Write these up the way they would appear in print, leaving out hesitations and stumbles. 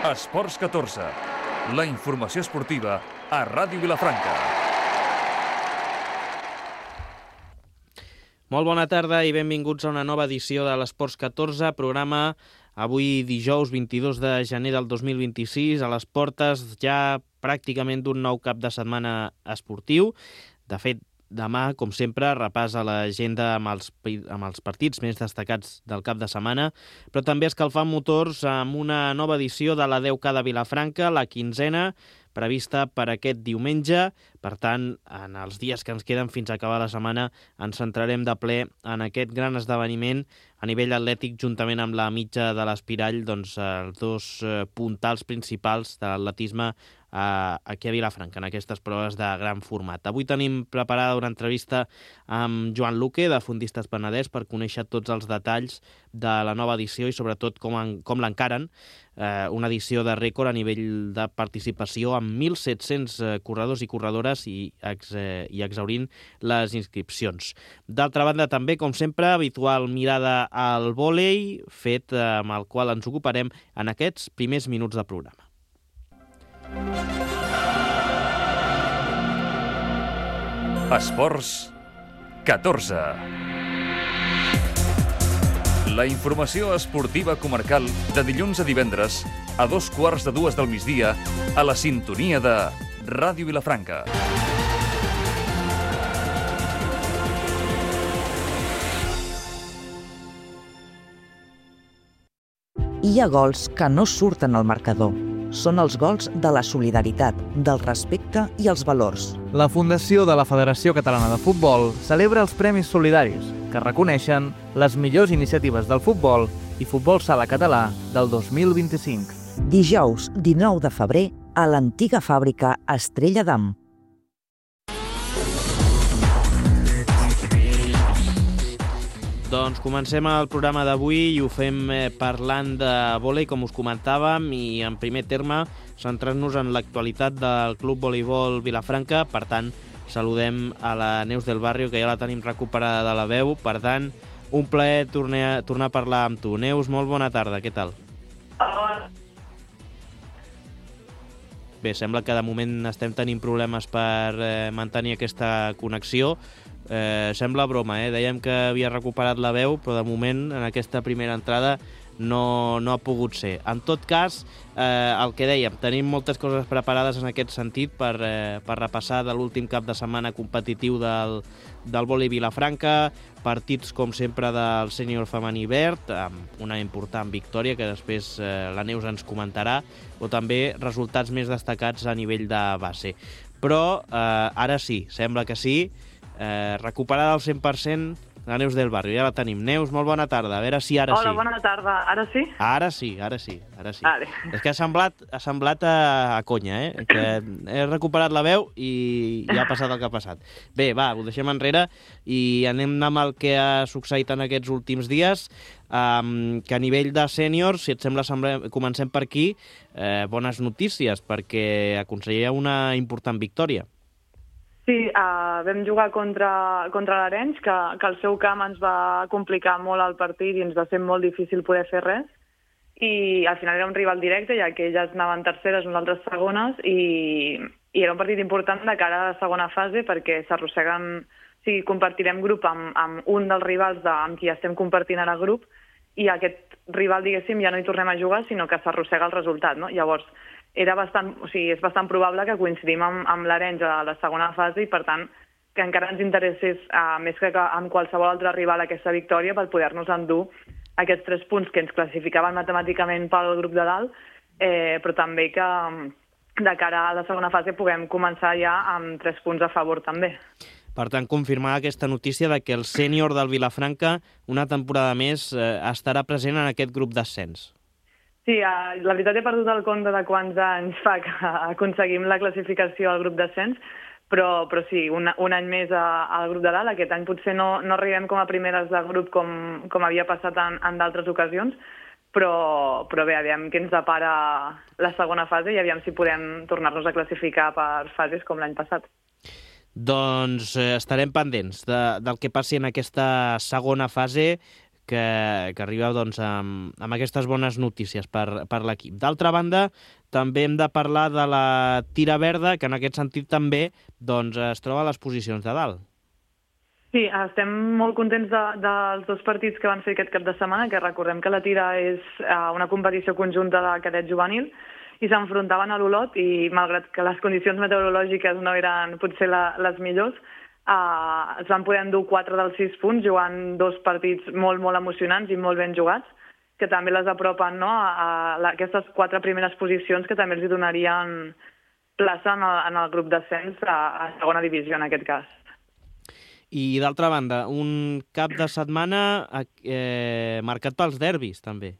Esports 14, la informació esportiva a Ràdio Vilafranca. Molt bona tarda i benvinguts a una nova edició de l'Esports 14, programa avui dijous 22 de gener del 2026, a les portes ja pràcticament d'un nou cap de setmana esportiu. De fet, demà, com sempre, repàs a l'agenda amb els partits més destacats del cap de setmana, però també escalfant motors amb una nova edició de la 10K de Vilafranca, la 15ª, prevista per aquest diumenge. Per tant, en els dies que ens queden fins a acabar la setmana, ens centrarem de ple en aquest gran esdeveniment a nivell atlètic, juntament amb la mitja de l'Espirall, doncs, els dos puntals principals de l'atletisme aquí a Vilafranca, en aquestes proves de gran format. Avui tenim preparada una entrevista amb Joan Luque, de Fundistes Penedès, per conèixer tots els detalls de la nova edició i sobretot com l'encaren. Una edició de rècord a nivell de participació amb 1.700 corredors i corredores i exhaurint les inscripcions. D'altra banda, també, com sempre, habitual mirada al vòlei, fet amb el qual ens ocuparem en aquests primers minuts de programa. Esports 14. La informació esportiva comarcal de dilluns a divendres a 2:15 del migdia a la sintonia de Ràdio Vilafranca. Hi ha gols que no surten al marcador. Són els gols de la solidaritat, del respecte i els valors. La Fundació de la Federació Catalana de Futbol celebra els Premis Solidaris, que reconeixen les millors iniciatives del futbol i futbol sala català del 2025. Dijous 19 de febrer a l'antiga fàbrica Estrella d'Am. Doncs comencem el programa d'avui i ho fem parlant de vòlei, com us comentàvem, i en primer terme centrant-nos en l'actualitat del Club Voleibol Vilafranca. Per tant, saludem a la Neus del Barrio, que ja la tenim recuperada de la veu. Per tant, un plaer tornar a parlar amb tu. Neus, molt bona tarda, què tal? Bé, sembla que de moment estem tenint problemes per mantenir aquesta connexió. Sembla broma, dèiem que havia recuperat la veu, però de moment en aquesta primera entrada no ha pogut ser. En tot cas, el que dèiem, tenim moltes coses preparades en aquest sentit per repassar de l'últim cap de setmana competitiu del vòlei Vilafranca, partits com sempre del sènior femení verd, amb una important victòria que després la Neus ens comentarà, o també resultats més destacats a nivell de base. Però ara sí, sembla que sí, recuperada al 100% la Neus del Barrio, ja la tenim. Neus, molt bona tarda, a veure si ara sí. Hola, bona tarda, ara sí? Ara sí. Vale. És que ha semblat a conya, que he recuperat la veu i ja ha passat el que ha passat. Bé, va, ho deixem enrere i anem amb el que ha succeït en aquests últims dies, que a nivell de sèniors, si et sembla, comencem per aquí, bones notícies, perquè aconseguia una important victòria. Sí, vam jugar contra l'Arenys, que el seu camp ens va complicar molt el partit i ens va ser molt difícil poder fer res. I al final era un rival directe, ja que elles anaven terceres, nosaltres segones, i era un partit important de cara a la segona fase perquè s'arrosseguen, o sigui, compartirem grup amb un dels rivals amb qui estem compartint ara grup, i aquest rival, diguéssim, ja no hi tornem a jugar, sinó que s'arrossega el resultat, no? Llavors, és bastant probable que coincidim amb l'Arenys a la segona fase i, per tant, que encara ens interessés més que amb qualsevol altre rival aquesta victòria per poder-nos endur aquests 3 punts que ens classificaven matemàticament pel grup de dalt, però també que de cara a la segona fase puguem començar ja amb 3 punts a favor també. Per tant, confirmar aquesta notícia de que el sènior del Vilafranca una temporada més estarà present en aquest grup d'ascens. Sí, la veritat he perdut el compte de quants anys fa que aconseguim la classificació al grup d'ascens, però sí, un any més al grup de dalt. Aquest any potser no arribem com a primeres de grup com havia passat en d'altres ocasions, però bé, aviam què ens depara la segona fase i aviam si podem tornar-nos a classificar per fases com l'any passat. Doncs estarem pendents del que passi en aquesta segona fase, que arriba doncs, amb aquestes bones notícies per l'equip. D'altra banda, també hem de parlar de la Tira Verda, que en aquest sentit també doncs, es troba a les posicions de dalt. Sí, estem molt contents dels 2 partits que van fer aquest cap de setmana, que recordem que la Tira és una competició conjunta de cadet juvenil, i s'enfrontaven a l'Olot, i malgrat que les condicions meteorològiques no eren potser les millors, es van poder endur 4 dels 6 punts, jugant 2 partits molt, molt emocionants i molt ben jugats, que també les apropen, no, a aquestes 4 primeres posicions, que també els donarien plaça en el grup d'ascens a segona divisió, en aquest cas. I d'altra banda, un cap de setmana marcat pels derbis, també.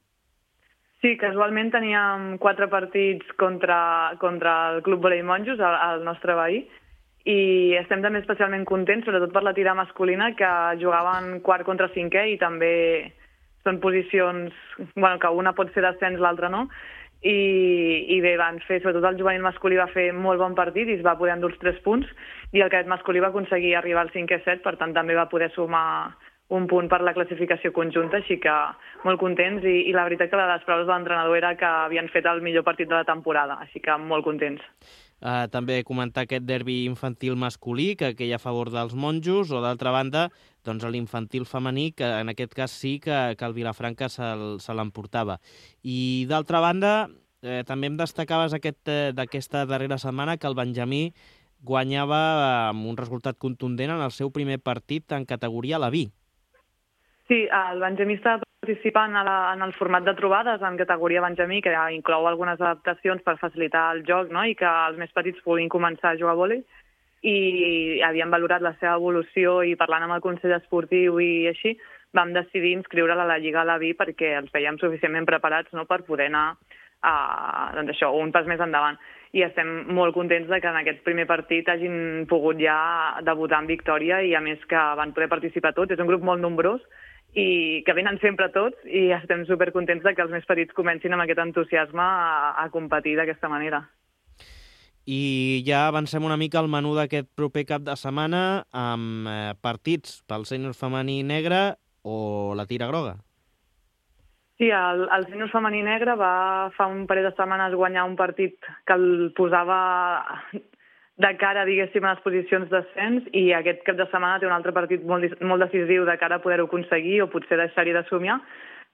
Sí, casualment teníem 4 partits contra el Club Volei Monjos, el nostre veí, i estem també especialment contents, sobretot per la Tira masculina, que jugaven quart contra cinquè, i també són posicions que una pot ser d'ascens, l'altra no, i bé, van fer, sobretot el juvenil masculí va fer molt bon partit i es va poder endur els 3 punts, i el cadet masculí va aconseguir arribar al 5è set, per tant també va poder sumar un punt per la classificació conjunta, així que molt contents, i la veritat que les paraules de l'entrenador era que havien fet el millor partit de la temporada, així que molt contents. També comentar aquest derbi infantil masculí, que hi ha a favor dels monjos, o d'altra banda, doncs l'infantil femení, que en aquest cas sí que el Vilafranca se l'emportava. I d'altra banda, també em destacaves d'aquesta darrera setmana que el Benjamí guanyava amb un resultat contundent en el seu primer partit en categoria la B. Sí, el Benjamí està participant en el format de trobades en categoria Benjamí, que inclou algunes adaptacions per facilitar el joc, no?, i que els més petits puguin començar a jugar a vòlei, i havien valorat la seva evolució, i parlant amb el Consell Esportiu i així, vam decidir inscriure'l a la Lliga a la B perquè els veiem suficientment preparats, no?, per poder anar doncs això, un pas més endavant. I estem molt contents de que en aquest primer partit hagin pogut ja debutar en victòria, i a més que van poder participar tots. És un grup molt nombrós i que venen sempre tots, i estem supercontents de que els més petits comencin amb aquest entusiasme a competir d'aquesta manera. I ja avancem una mica al menú d'aquest proper cap de setmana amb partits pel sènior femení negre o la Tira groga. Sí, el sènior femení negre va fa un parell de setmanes guanyar un partit que el posava de cara, diguéssim, a les posicions d'ascens, i aquest cap de setmana té un altre partit molt decisiu de cara a poder-ho aconseguir, o potser deixar-hi de somiar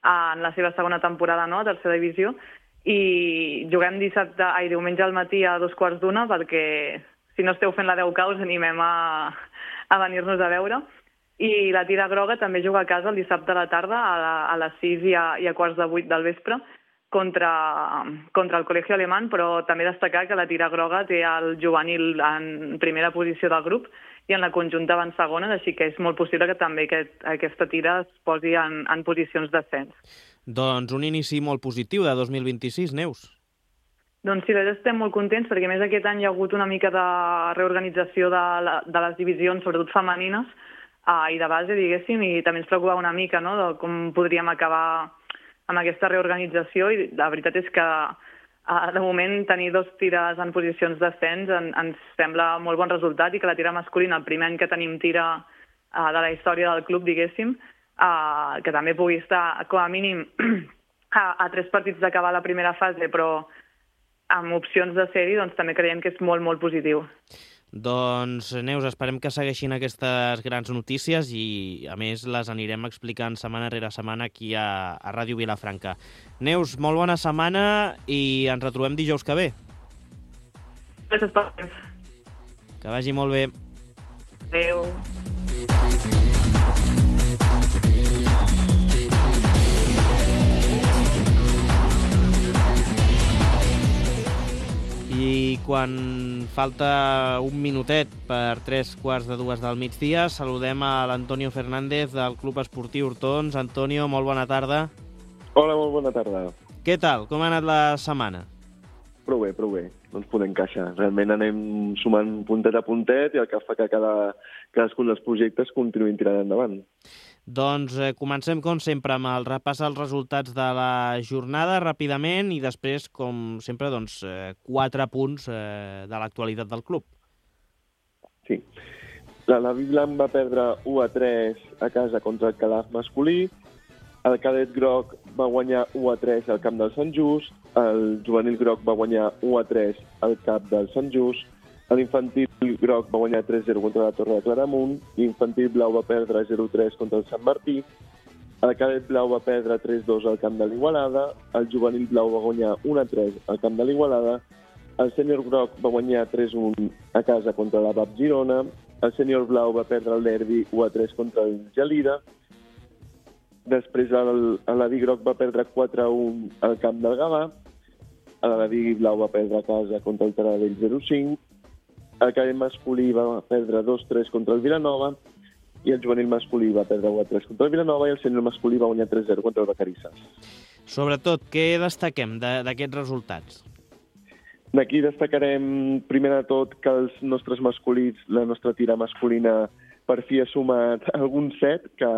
en la seva segona temporada, no?, a tercera divisió. I juguem diumenge al matí a 2:15, perquè si no esteu fent la 10K us animem a venir-nos a veure. I la Tira groga també juga a casa el dissabte a la tarda a les 6 i a 7:15 del vespre contra el Col·legi Alemany, però també destacar que la Tira groga té el juvenil en primera posició del grup i en la conjunta va en segona, així que és molt possible que també aquesta Tira es posi en posicions d'ascens. Doncs un inici molt positiu de 2026, Neus. Doncs sí, estem molt contents, perquè a més aquest any hi ha hagut una mica de reorganització de les divisions, sobretot femenines, i de base, diguéssim, i també ens preocupava una mica, no?, de com podríem acabar amb aquesta reorganització, i la veritat és que de moment tenir 2 tires en posicions d'ascens ens sembla molt bon resultat, i que la Tira masculina, el primer any que tenim tira de la història del club, diguéssim, que també pugui estar com a mínim a 3 partits d'acabar la primera fase, però amb opcions de ser-hi, doncs també creiem que és molt, molt positiu. Doncs, Neus, esperem que segueixin aquestes grans notícies i, a més, les anirem explicant setmana rere setmana aquí a Ràdio Vilafranca. Neus, molt bona setmana i ens retrobem dijous que ve. Gràcies per temps. Que vagi molt bé. Adéu. I quan falta un minutet per 3:45 del migdia, saludem a l'Antonio Fernández del Club Esportiu Hortons. Antonio, molt bona tarda. Hola, molt bona tarda. Què tal? Com ha anat la setmana? Prou bé. No ens podem queixar. Realment anem sumant puntet a puntet i el que fa que cadascun dels projectes continuïn tirant endavant. Doncs comencem, com sempre, amb el repàs als resultats de la jornada ràpidament i després, com sempre, 4 punts de l'actualitat del club. Sí. La Biblan va perdre 1-3 a casa contra el Calaf masculí. El cadet groc va guanyar 1-3 al camp del Sant Just, el juvenil groc va guanyar 1-3 al camp del Sant Just, l'infantil groc va guanyar 3-0 contra la Torre de Claramunt, l'infantil blau va perdre 0-3 contra el Sant Martí, el cadet blau va perdre 3-2 al camp de l'Igualada, el juvenil blau va guanyar 1-3 al camp de l'Igualada, el sènior groc va guanyar 3-1 a casa contra la BAP Girona, el sènior blau va perdre el derbi 1-3 contra el Gelida, després l'Aladí groc va perdre 4-1 al camp del Gavà, l'Aladí blau va perdre a casa contra el Taradell 0-5, el cadet masculí va perdre 2-3 contra el Vilanova i el juvenil masculí va perdre 1-3 contra el Vilanova i el sènior masculí va guanyar 3-0 contra el Vacarisses. Sobretot, què destaquem d'aquests resultats? D'aquí destacarem, primer de tot, que els nostres masculins, la nostra tira masculina, per fi ha sumat algun set, que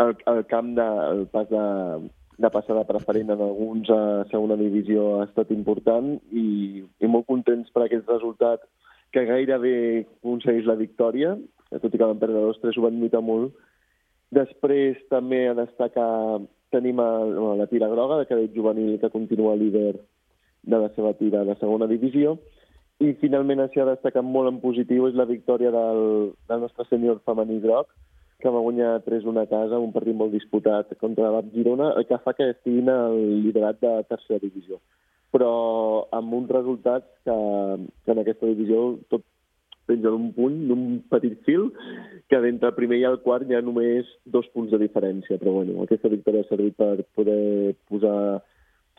el camp el pas de passada preferent en alguns a segona divisió ha estat important i molt contents per aquest resultat que gairebé aconsegueix la victòria, tot i que van perdre 2-3, ho van lluitar molt. Després també a destacar tenim la tira groga de cadet juvenil que continua líder de la seva tira de segona divisió i finalment així a destacar molt en positiu és la victòria del nostre sènior femení groc que va guanyar 3-1 a casa, un partit molt disputat contra la Girona, el que fa que estiguin al liderat de tercera divisió. Però amb uns resultats que en aquesta divisió tot penja d'un punt, d'un petit fil, que d'entre el primer i el quart hi ha només 2 punts de diferència. Però bueno, aquesta victòria ha servit per poder posar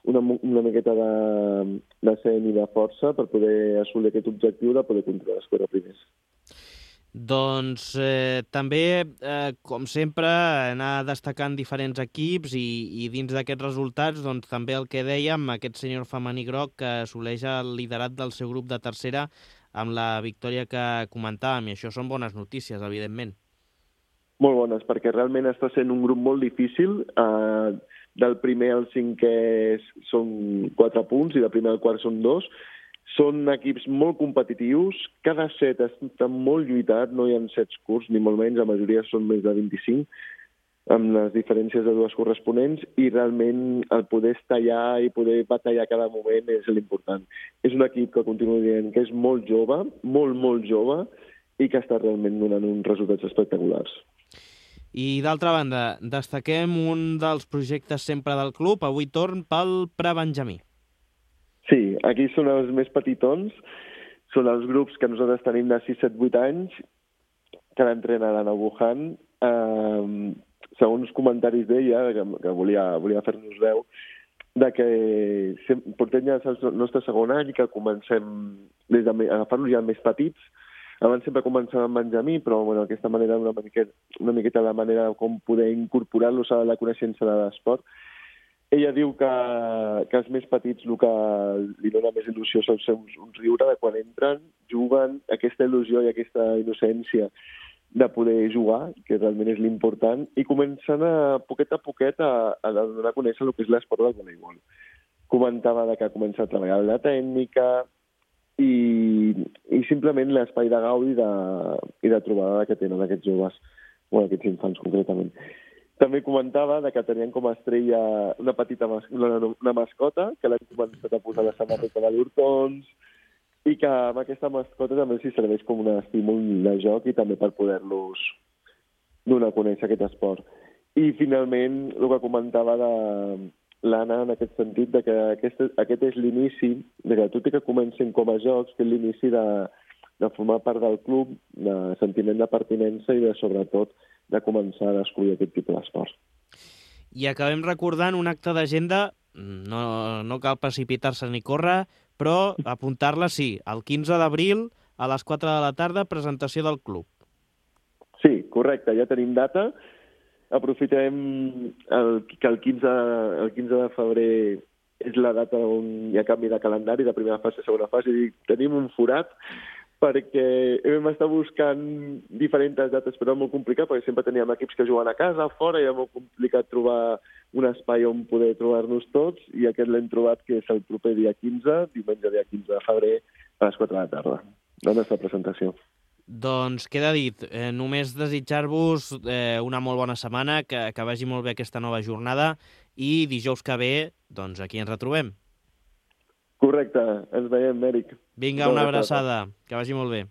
una miqueta de seny i de força per poder assolir aquest objectiu de poder controlar els 4 primers. Doncs també, com sempre, anar destacant diferents equips i dins d'aquests resultats, doncs també el que dèiem, aquest sènior femení groc que assoleix el liderat del seu grup de tercera amb la victòria que comentàvem, i això són bones notícies, evidentment. Molt bones, perquè realment està sent un grup molt difícil. Del primer al cinquè són 4 punts i del primer al quart són 2. Són equips molt competitius, cada set està molt lluitat, no hi ha sets curts, ni molt menys, la majoria són més de 25, amb les diferències de 2 corresponents, i realment el poder estallar i poder batallar cada moment és l'important. És un equip que continuo dient que és molt jove, molt jove, i que està realment donant uns resultats espectaculars. I d'altra banda, destaquem un dels projectes sempre del club, avui torn pel prebenjamí. Sí, aquí són els més petitons, són els grups que nosaltres tenim de 6, 7, 8 anys, que l'entrena l'Anna Wuhan. Segons comentaris d'ella, que volia fer-nos veu, de que portem ja el nostre segon any, que comencem a agafar-los ja més petits. Abans sempre començàvem amb Benjamí, però bueno, aquesta manera una miqueta la manera com poder incorporar-los a la coneixença de l'esport. Ella diu que els més petits el que li dona més il·lusió són un riure de quan entren, juguen, aquesta il·lusió i aquesta innocència de poder jugar, que realment és l'important, i comencen a poquet a donar a conèixer el que és l'esport del voleibol. Comentava que ha començat a treballar la tècnica i simplement l'espai de gaudi i de trobada que tenen aquests joves, aquests infants concretament. També comentava que tenien com a estrella una petita una mascota, que l'han començat a posar a la samarreta de l'Hortons, i que amb aquesta mascota també s'hi serveix com un estímul de joc i també per poder-los donar a conèixer aquest esport. I finalment, el que comentava l'Anna en aquest sentit, que aquest és l'inici, que tot i que comencin com a jocs, que és l'inici de formar part del club, de sentiment de pertinença i de, sobretot, de començar a descobrir aquest tipus d'esport. I acabem recordant un acte d'agenda, no cal precipitar-se ni córrer, però apuntar-la sí, el 15 d'abril a les 4 de la tarda, presentació del club. Sí, correcte, ja tenim data. Aprofitem que el 15 de febrer és la data on hi ha canvi de calendari, de primera fase a segona fase, i tenim un forat, perquè hem estat buscant diferents dates, però és molt complicat, perquè sempre teníem equips que juguen a casa, fora, i era molt complicat trobar un espai on poder trobar-nos tots, i aquest l'hem trobat, que és el proper dia 15, diumenge dia 15 de febrer, a les 4 de la tarda, la nostra presentació. Doncs queda dit, només desitjar-vos una molt bona setmana, que vagi molt bé aquesta nova jornada i dijous que ve, doncs aquí ens retrobem. Correcte, ens veiem, Eric. Vinga, una abraçada, que vagi molt bé.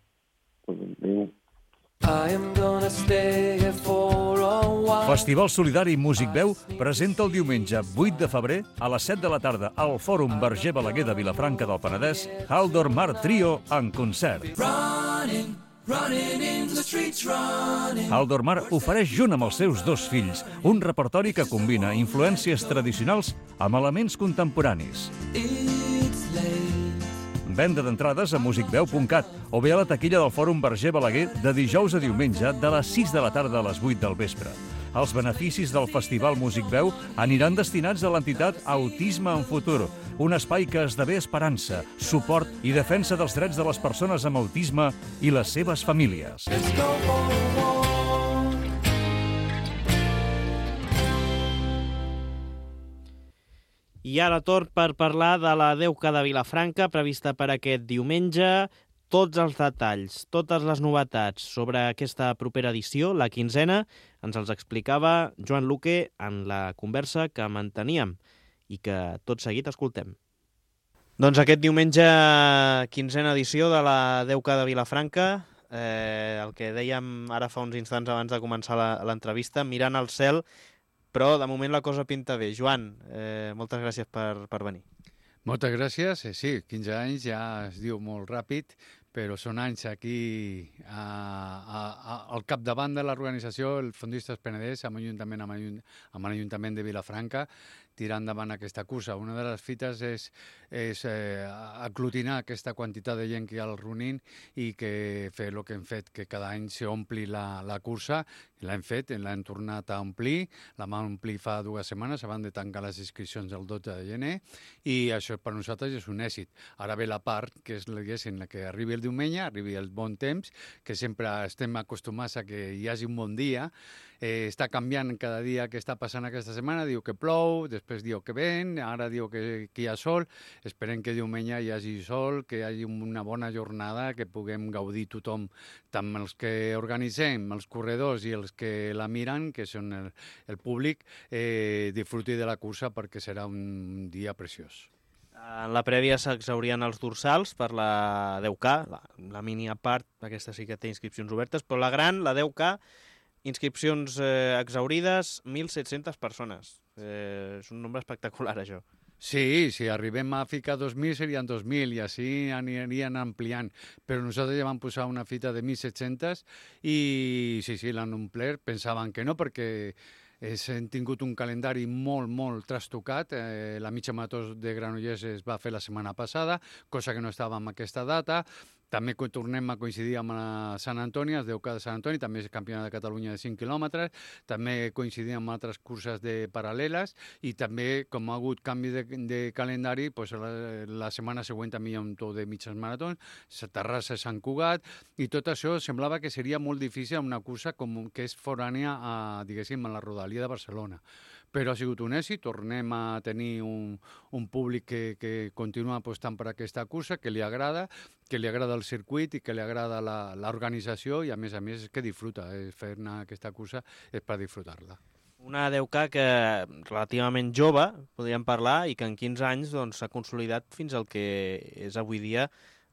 Adéu. Festival Solidari Músic Veu presenta el diumenge 8 de febrer a les 7 de la tarda al Fòrum Verger Balaguer de Vilafranca del Penedès Haldor Mar Trio en concert. Haldor Mar ofereix junt amb els seus 2 fills un repertori que combina influències tradicionals amb elements contemporanis. Venda d'entrades a musicveu.cat o bé a la taquilla del Fòrum Verger Balaguer de dijous a diumenge de les 6 de la tarda a les 8 del vespre. Els beneficis del Festival Músic Veu aniran destinats a l'entitat Autisme en Futur, un espai que esdevé esperança, suport i defensa dels drets de les persones amb autisme i les seves famílies. I ara torn per parlar de la Deuca de Vilafranca, prevista per aquest diumenge. Tots els detalls, totes les novetats sobre aquesta propera edició, la 15a, ens els explicava Joan Luque en la conversa que manteníem i que tot seguit escoltem. Doncs aquest diumenge, 15a edició de la Deuca de Vilafranca, el que dèiem ara fa uns instants abans de començar l'entrevista, mirant al cel, però de moment la cosa pinta bé. Joan, moltes gràcies per venir. Moltes gràcies. Sí, 15 anys ja es diu molt ràpid, però són anys aquí al capdavant de l'organització, el Fondistes Penedès, amb l'Ajuntament de Vilafranca, tirar endavant aquesta cursa. Una de les fites és aglutinar aquesta quantitat de gent que hi ha al Runin i que fer el que hem fet, que cada any s'ompli la cursa. L'hem fet, l'hem tornat a omplir, la vam omplir fa 2 setmanes, abans de tancar les inscripcions el 12 de gener, i això per nosaltres és un èxit. Ara ve la part, que és la que arribi el diumenge, arribi el bon temps, que sempre estem acostumats a que hi hagi un bon dia. Està canviant cada dia que està passant aquesta setmana, diu que plou, després diu que ven, ara diu que hi ha sol. Esperem que diumenge hi hagi sol, que hi hagi una bona jornada, que puguem gaudir tothom, tant els que organitzem, els corredors i els que la miren, que són el públic, disfruti de la cursa perquè serà un dia preciós. En la prèvia s'exhaurien els dorsals per la 10K, la mini a part, aquesta sí que té inscripcions obertes, però la gran, la 10K, inscripcions exhaurides, 1.700 persones. És un nombre espectacular, això. Sí, si arribem a ficar 2.000 serien 2.000 i així anirien ampliant, però nosaltres ja vam posar una fita de 1.700 i sí, l'han omplert, pensaven que no perquè hem tingut un calendari molt trastocat. La mitja marató de Granollers es va fer la setmana passada, cosa que no estava en aquesta data. També tornem a coincidir amb la Sant Antoni, el 10K de Sant Antoni, també és campionat de Catalunya de 5 quilòmetres, també coincidim amb altres curses paral·leles i també, com ha hagut canvi de calendari, doncs la setmana següent també hi ha un to de mitges maratons, Terrassa, Sant Cugat, i tot això semblava que seria molt difícil una cursa que és forània, diguéssim, a la rodalia de Barcelona. Però ha sigut un èxit, tornem a tenir un públic que continua apostant per aquesta cursa, que li agrada el circuit i que li agrada l'organització i a més que disfruta. Fer-ne aquesta cursa és per disfrutar-la. Una 10K que relativament jove, podríem parlar, i que en 15 anys s'ha consolidat fins al que és avui dia.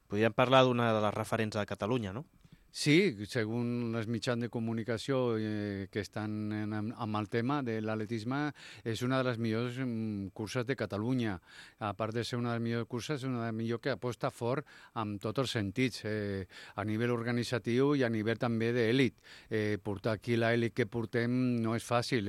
Podríem parlar d'una de les referents de Catalunya, no? Sí, segons els mitjans de comunicació que estan amb el tema de l'atletisme, és una de les millors curses de Catalunya. A part de ser una de les millors curses, és una de les millors que aposta fort en tots els sentits, a nivell organitzatiu i a nivell també d'èlit. Portar aquí l'èlit que portem no és fàcil.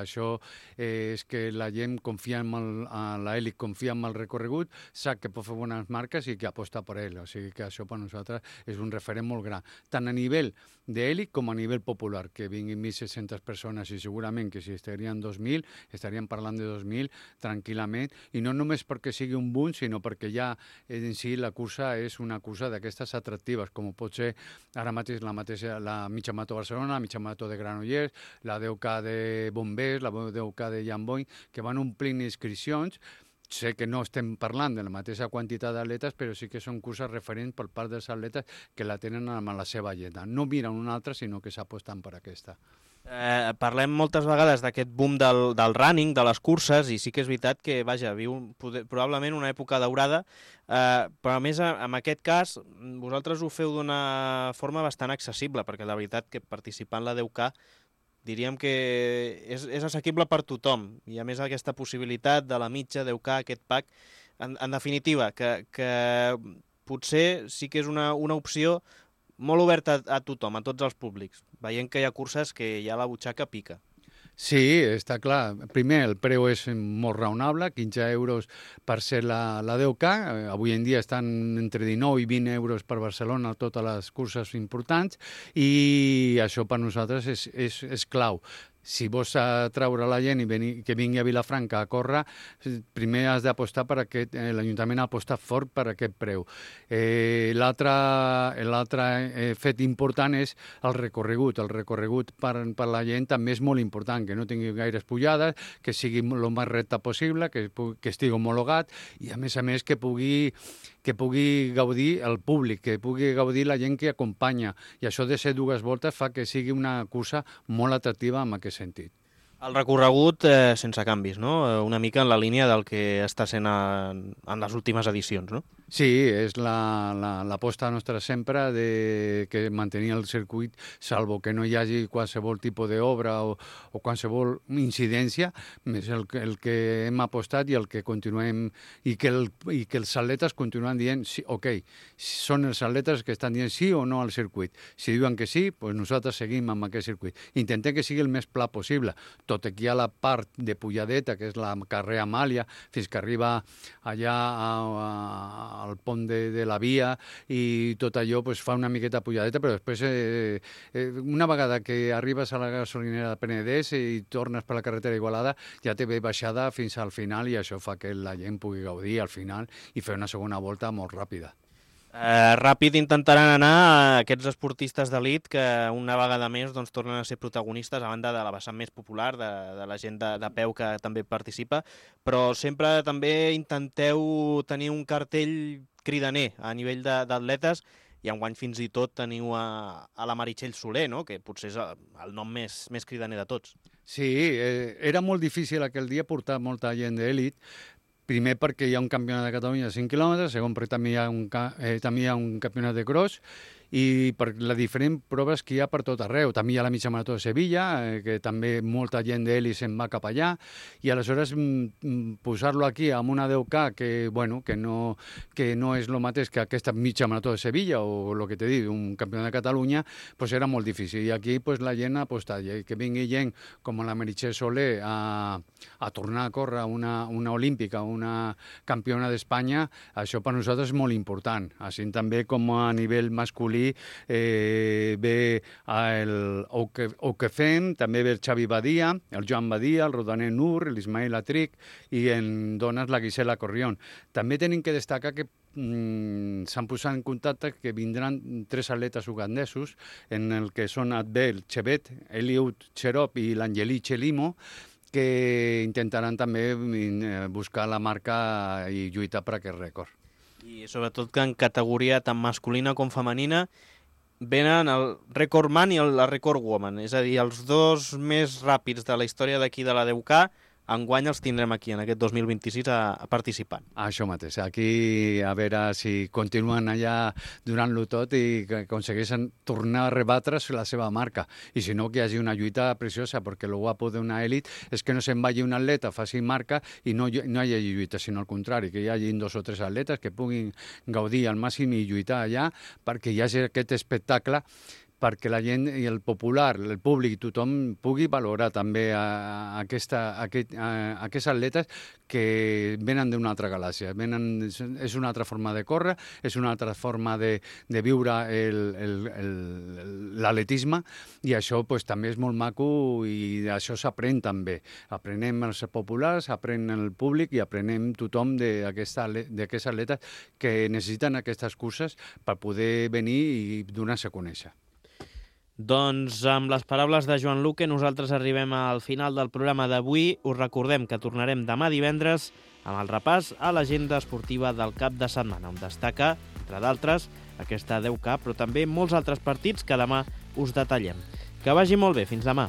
Això és que la gent confia en l'èlit, confia en el recorregut, sap que pot fer bones marques i que aposta per ell. O sigui que això per nosaltres és un referent molt gran, tant a nivell d'èlit com a nivell popular, que vinguin 1.600 persones i segurament que si estarien 2.000, estaríem parlant de 2.000 tranquil·lament, i no només perquè sigui un boom, sinó perquè ja en si la cursa és una cursa d'aquestes atractives, com pot ser ara mateix la mitja marató de Barcelona, la mitja marató de Granollers, la 10K de Bombers, la 10K de Llamboy, que van omplint inscripcions, sé que no estem parlant de la mateixa quantitat d'atletes, però sí que són curses referents per part dels atletes que la tenen amb la seva agenda. No miren una altra, sinó que s'aposten per aquesta. Parlem moltes vegades d'aquest boom del running, de les curses, i sí que és veritat que, vaja, viu probablement una època daurada, però a més, en aquest cas, vosaltres ho feu d'una forma bastant accessible, perquè la veritat que participar en la 10K diríem que és assequible per tothom, i a més aquesta possibilitat de la mitja 10K, aquest pack, en definitiva, que potser sí que és una opció molt oberta a tothom, a tots els públics, veient que hi ha curses que ja la butxaca pica. Sí, està clar. Primer, el preu és molt raonable, 15 euros per ser la 10K. Avui en dia estan entre 19 i 20 euros per Barcelona totes les curses importants, i això per nosaltres és clau. Si vols atraure la gent i que vingui a Vilafranca a córrer, primer has d'apostar per aquest, l'Ajuntament ha apostat fort per aquest preu. L'altre fet important és el recorregut. El recorregut per la gent també és molt important, que no tingui gaires pujades, que sigui el més recte possible, que estigui homologat, i a més que pugui gaudir el públic, que pugui gaudir la gent que acompanya. I això de ser dues voltes fa que sigui una cursa molt atractiva en aquest sentit. El recorregut sense canvis, no? Una mica en la línia del que està sent en les últimes edicions, no? Sí, és l'aposta nostra sempre de que mantenir el circuit, salvo que no hi hagi qualsevol tipus d'obra o qualsevol incidència, és el que hem apostat i el que continuem, i que els atletes continuen dient, sí, ok, són els atletes que estan dient sí o no al circuit. Si diuen que sí, doncs nosaltres seguim amb aquest circuit. Intentem que sigui el més pla possible, tot i que hi ha la part de pujadeta, que és la carrer Amàlia, fins que arriba allà al pont de la via, i tot allò fa una miqueta pujadeta, però després, una vegada que arribes a la gasolinera de Penedès i tornes per la carretera Igualada, ja té bé baixada fins al final, i això fa que la gent pugui gaudir al final i fer una segona volta molt ràpida. Ràpid intentaran anar aquests esportistes d'elit que una vegada més tornen a ser protagonistes, a banda de la vessant més popular, de la gent de peu que també participa, però sempre també intenteu tenir un cartell cridaner a nivell d'atletes, i enguany fins i tot teniu a la Meritxell Soler, no? Que potser és el nom més cridaner de tots. Sí, era molt difícil aquell dia portar molta gent d'elit. Primer perquè hi ha un campionat de Catalunya de 5 quilòmetres, segon perquè també hi ha un campionat de cross, i per les diferents proves que hi ha per tot arreu. També hi ha la mitja marató de Sevilla, que també molta gent d'elit se'n va cap allà, i aleshores posar-lo aquí amb una 10K que no és el mateix que aquesta mitja marató de Sevilla o el que t'he dit, un campionat de Catalunya, era molt difícil. I aquí la gent ha apostat, i que vingui gent com la Meritxell Soler a tornar a córrer una olímpica, una campiona d'Espanya, això per nosaltres és molt important. Així també com a nivell masculí ve el Oquefem, també ve el Xavi Badia, el Joan Badia, el Rodaner Nur, l'Ismael Atric, i en dones la Gisela Corrión. També tenim que destacar que s'han posat en contacte que vindran 3 atletes ugandesos, en el que són Adbel Chevet, Eliud Cherop i l'Angeli Chelimo, que intentaran també buscar la marca i lluitar per aquest rècord. I sobretot que en categoria tant masculina com femenina venen el rècord man i el rècord woman, és a dir, els dos més ràpids de la història d'aquí de la 10K, enguany els tindrem aquí, en aquest 2026, a participant. Això mateix, aquí a veure si continuen allà durant-lo tot i que aconsegueixen tornar a rebatre la seva marca. I si no, que hi hagi una lluita preciosa, perquè el guapo d'una elit és que no se'n vagi un atleta, faci marca i no hi hagi lluita, sinó al contrari, que hi hagi 2 o 3 atletes que puguin gaudir al màxim i lluitar allà, perquè hi hagi aquest espectacle, perquè la gent i el popular, el públic, tothom pugui valorar també aquests atletes que venen d'una altra galàxia. És una altra forma de córrer, és una altra forma de viure l'atletisme, i això també és molt maco, i això s'aprèn també. Aprenem els populars, aprèn el públic i aprenem tothom d'aquests atletes que necessiten aquestes curses per poder venir i donar-se a conèixer. Doncs amb les paraules de Joan Luque nosaltres arribem al final del programa d'avui. Us recordem que tornarem demà divendres amb el repàs a l'agenda esportiva del cap de setmana, on destaca, entre d'altres, aquesta 10K, però també molts altres partits que demà us detallem. Que vagi molt bé, fins demà.